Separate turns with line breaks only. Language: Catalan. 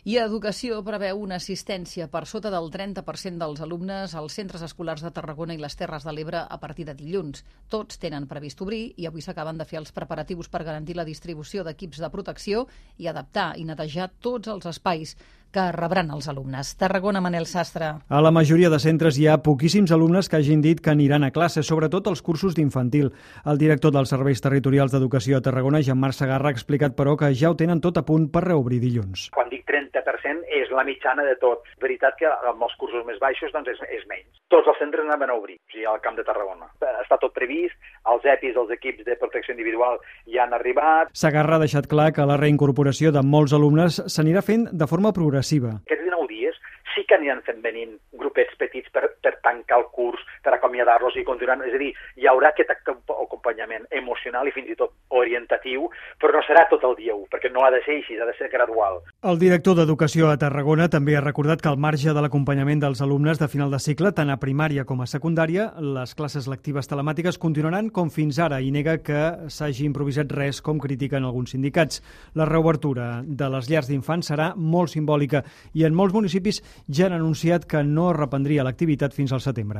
I Educació preveu una assistència per sota del 30% dels alumnes als centres escolars de Tarragona i les Terres de l'Ebre a partir de dilluns. Tots tenen previst obrir i avui s'acaben de fer els preparatius per garantir la distribució d'equips de protecció i adaptar i netejar tots els espais que rebran els alumnes. Tarragona, Manel Sastre.
A la majoria de centres hi ha poquíssims alumnes que hagin dit que aniran a classe, sobretot els cursos d'infantil. El director dels Serveis Territorials d'Educació a Tarragona, Jean-Marc Segarra, ha explicat, però, que ja ho tenen tot a punt per reobrir dilluns.
Quan dic 30% és la mitjana de tot. És veritat que amb els cursos més baixos doncs és menys. Tots els centres anaven a obrir, o sigui, al Camp de Tarragona. Està tot previst, els EPIs, els equips de protecció individual ja han arribat.
Segarra ha deixat clar que la reincorporació de molts alumnes s'anirà fent de forma progressiva.
Aquests 19 dies sí que aniran fent venint grupets petits per tancar el curs, per acomiadar-los i continuar. És a dir, hi haurà aquest acompanyament emocional i fins i tot orientatiu, però no serà tot el dia 1, perquè no ha de ser així, ha de ser gradual.
El director d'Educació a Tarragona també ha recordat que al marge de l'acompanyament dels alumnes de final de cicle, tant a primària com a secundària, les classes lectives telemàtiques continuaran com fins ara i nega que s'hagi improvisat res, com critiquen alguns sindicats. La reobertura de les llars d'infants serà molt simbòlica i en molts municipis ja han anunciat que no es reprendria l'activitat fins al setembre.